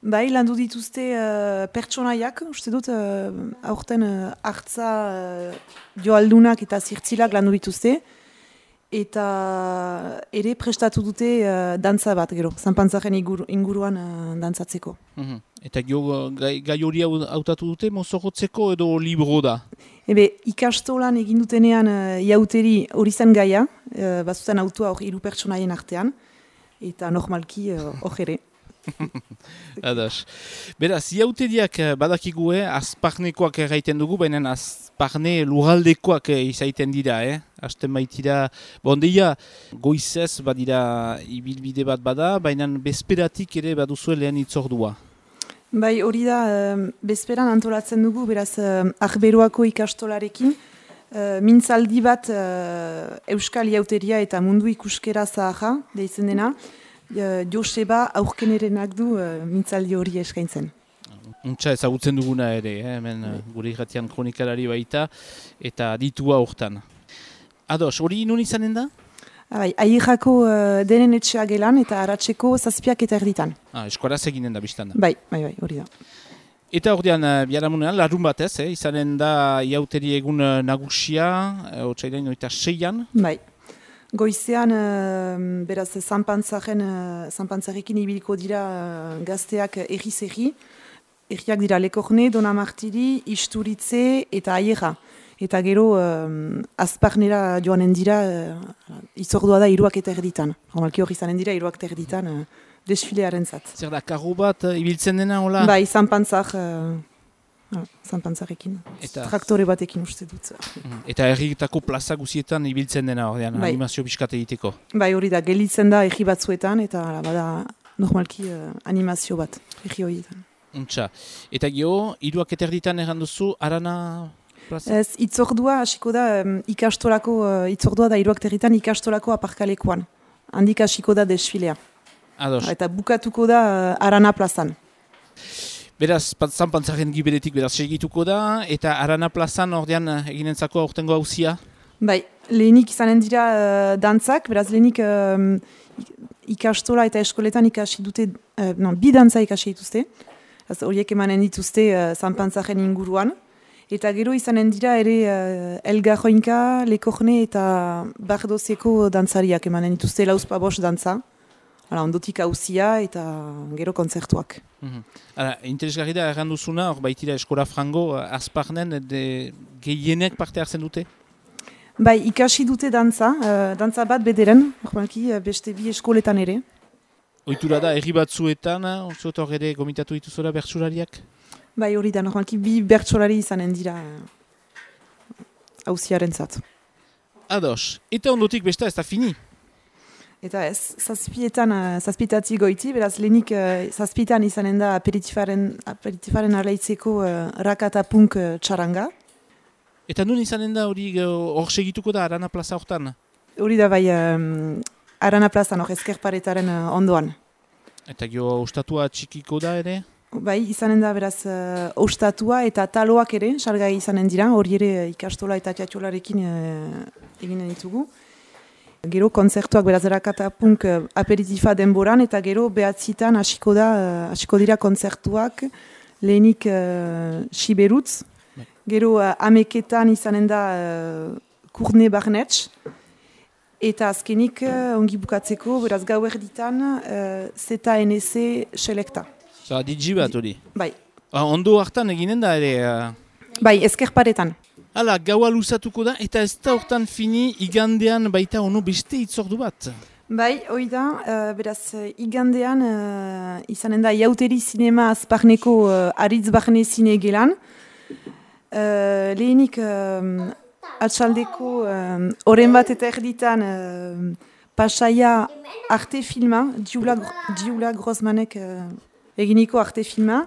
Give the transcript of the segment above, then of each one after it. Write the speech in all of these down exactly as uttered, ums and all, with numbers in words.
Bai, landu dituzte uh, pertsonaiak, uste dut, uh, aurten uh, hartza uh, joaldunak eta zirtzilak landu dituzte, eta ere prestatu dute uh, dantza bat, gero, zanpantzaren inguru, inguruan uh, dantzatzeko. Mm-hmm. Eta gero gai, gai hori hautatu dute, mozorrotzeko edo libro da? Ebe, ikastolan egin dutenean uh, iauteri hori zen gaia, uh, bazuten autua hor hiru pertsonaien artean, eta normalki hor uh, ere. Adas. Beraz, iauteriak badakigu, azparnekoak erraiten dugu, baina azparne lurraldekoak izaiten dira, eh? Hasten baitira, bondeia, goizez badira ibilbide bat bada, baina bezperatik ere baduzue lehen itzordua. Bai, hori da, bezperan antolatzen dugu, beraz, Arberoako ikastolarekin, mintzaldi bat Euskal Iauteria eta mundu ikuskera zaharra, deitzen dena, Joseba aurkenerenak du uh, mintzaldi hori eskaintzen. Untxa ezagutzen duguna ere, eh? Hemen uh, gure irratian kronikalari baita, eta ditua hortan. Ados, hori nun izanen da? Bai, Airako uh, denen etxea gelan eta Aratzeko zazpiak eta erditan. Ah, eskuaraz eginen da biztan da. Bai, bai, bai, hori da. Eta ordean, uh, biharamunean, larun batez, eh? Izanen da iauteri egun uh, nagusia, uh, otsailean oita seian. Bai. Goizean, uh, beraz, zanpantzaren, uh, zanpantzarekin ibiliko dira uh, gazteak erri-zerri. Erriak dira Lekorne, Donamartiri, Isturitze eta Aiera. Eta gero, uh, azparnera joanen dira, uh, itzordua da iruak eta erditan. Normalki hori izanen dira, iruak eta erditan uh, desfilearen zat. Zer da, karro bat uh, ibiltzen dena, hola? Bai, zanpantzak... Uh, Ah, zanpantzarekin, eta... traktore batekin uste dut. Eta herrietako plaza guzietan ibiltzen dena ordean, bai. Animazio pixkat egiteko. Bai, hori da, gelitzen da herri batzuetan, eta bada normalki uh, animazio bat, herri horietan. Untxa. Eta geho, iruak eterditan erranduzu, Arana plaza? Ez, itzordua, hasiko da, um, ikastolako, uh, itzordua da iruak eterditan ikastolako aparkalekoan. Handik hasiko da desfilea. Ados. Eta bukatuko da uh, Arana plazan. Beraz, zanpantzaren giberetik beraz segituko da, eta Arana plazan ordean eginentzako aurtengo hauzia? Bai, lehenik izanen dira uh, dantzak, beraz lehenik um, ikastola eta eskoletan ikasi dute, uh, non, bi dantza ikasi dituzte, horiek emanen dituzte uh, zanpantzaren inguruan, eta gero izanen dira ere uh, Elgarroinka, Lekorne eta Bardozeko dantzariak emanen dituzte lauzpabos dantza. Hala, ondotik hauzia eta gero kontzertuak. Mm-hmm. Hala, interesgarri da erranduzuna, hor baitira eskola frango, azparnen gehienek parte hartzen dute? Bai, ikasi dute dantza, uh, dantza bat bederen, horbanki, beste bi eskoletan ere. Oitura da, herri batzuetan, oso hor ere gomitatu dituzora bertsolariak? Bai, hori da, horbanki, bi bertsolari izanen dira hauziaren zat. Ados, eta ondotik besta ez da fini? Eta ez, zazpietan, zazpietatik goiti, beraz lehenik uh, zazpietan izanen da aperitifaren, aperitifaren arlaitzeko uh, rakata punk uh, txaranga. Eta nun izanen da hori hor segituko da Arana plaza hortan? Hori da bai um, Arana plazan hor ezkerparetaren uh, ondoan. Eta gero ostatua txikiko da ere? Bai, izanen da beraz uh, ostatua eta taloak ere, salgai izanen dira, hori ere ikastola eta teatrolarekin uh, eginen ditugu. Gero kontzertuak beraz erakata punk uh, aperitifa denboran eta gero behatzitan hasiko da uh, hasiko dira kontzertuak lehenik uh, Siberutz, gero uh, ameketan izanen da uh, Kurne Barnetx eta azkenik uh, ongi bukatzeko beraz gau erditan uh, Zeta N S selekta. Zara digi bat hori? Bai. Ah, ondo hartan eginen da ere? Uh... Bai, ezkerparetan. Hala, gaua luzatuko da, eta ez da hortan fini igandean baita ono beste itzordu bat. Bai, hoi da, uh, beraz, igandean uh, izanen da Iauteri Zinema Azparneko uh, Aritz Barne Zine gelan. Uh, lehenik um, atxaldeko oren um, bat eta erditan uh, Pasaia arte filma, Diula, Diula Grossmanek uh, eginiko arte filma.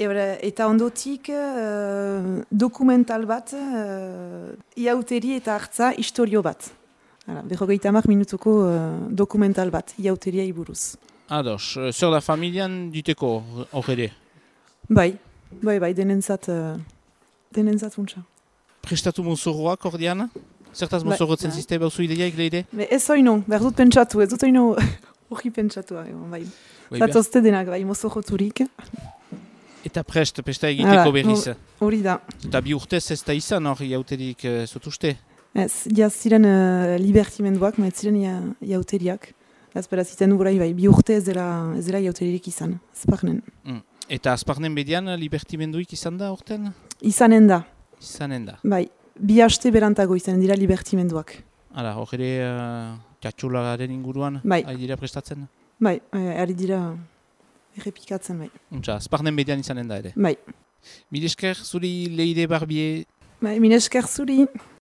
Eta ondotik uh, dokumental bat, uh, iauteri eta hartza historio bat. Berrogeita hamar minutuko uh, dokumental bat, iauteria iburuz. Ados, zer da familian diteko hor ere? Bai, bai, bai, denentzat, uh, denentzat untsa. Prestatu mozorroak hor diana? Zertaz mozorrotzen ziste bauzu ideia egleide? Ez oino, behar dut pentsatu, ez dut oino Horri pentsatua, egon, bai. Bai, Zatozte denak, bai, mozo joturik. Eta prest, pesta egiteko Hala, berriz. Hori da. Eta bi urtez ez da izan hor jauterik uh, zutuzte? Ez, jaz ziren uh, libertimenduak, ma ez ziren ja- jauteriak. Ez beraz, iten dugurai, bai, bi urte ez dela, ez dela jauteririk izan, Azparnen. Mm. Eta Azparnen bedian libertimenduik izan da horten? Izanen da, Izanen da. bai, bi haste berantago izanen dira libertimenduak. Hala, hor ere uh, txatxolaren inguruan Bai. ari dira prestatzen? Bai, eh, ari dira errepikatzen, bai. Untxa, Azparnen bedian izanen da ere. Bai, Mil esker zuri Leire Barbie. bai, mine esker zuri.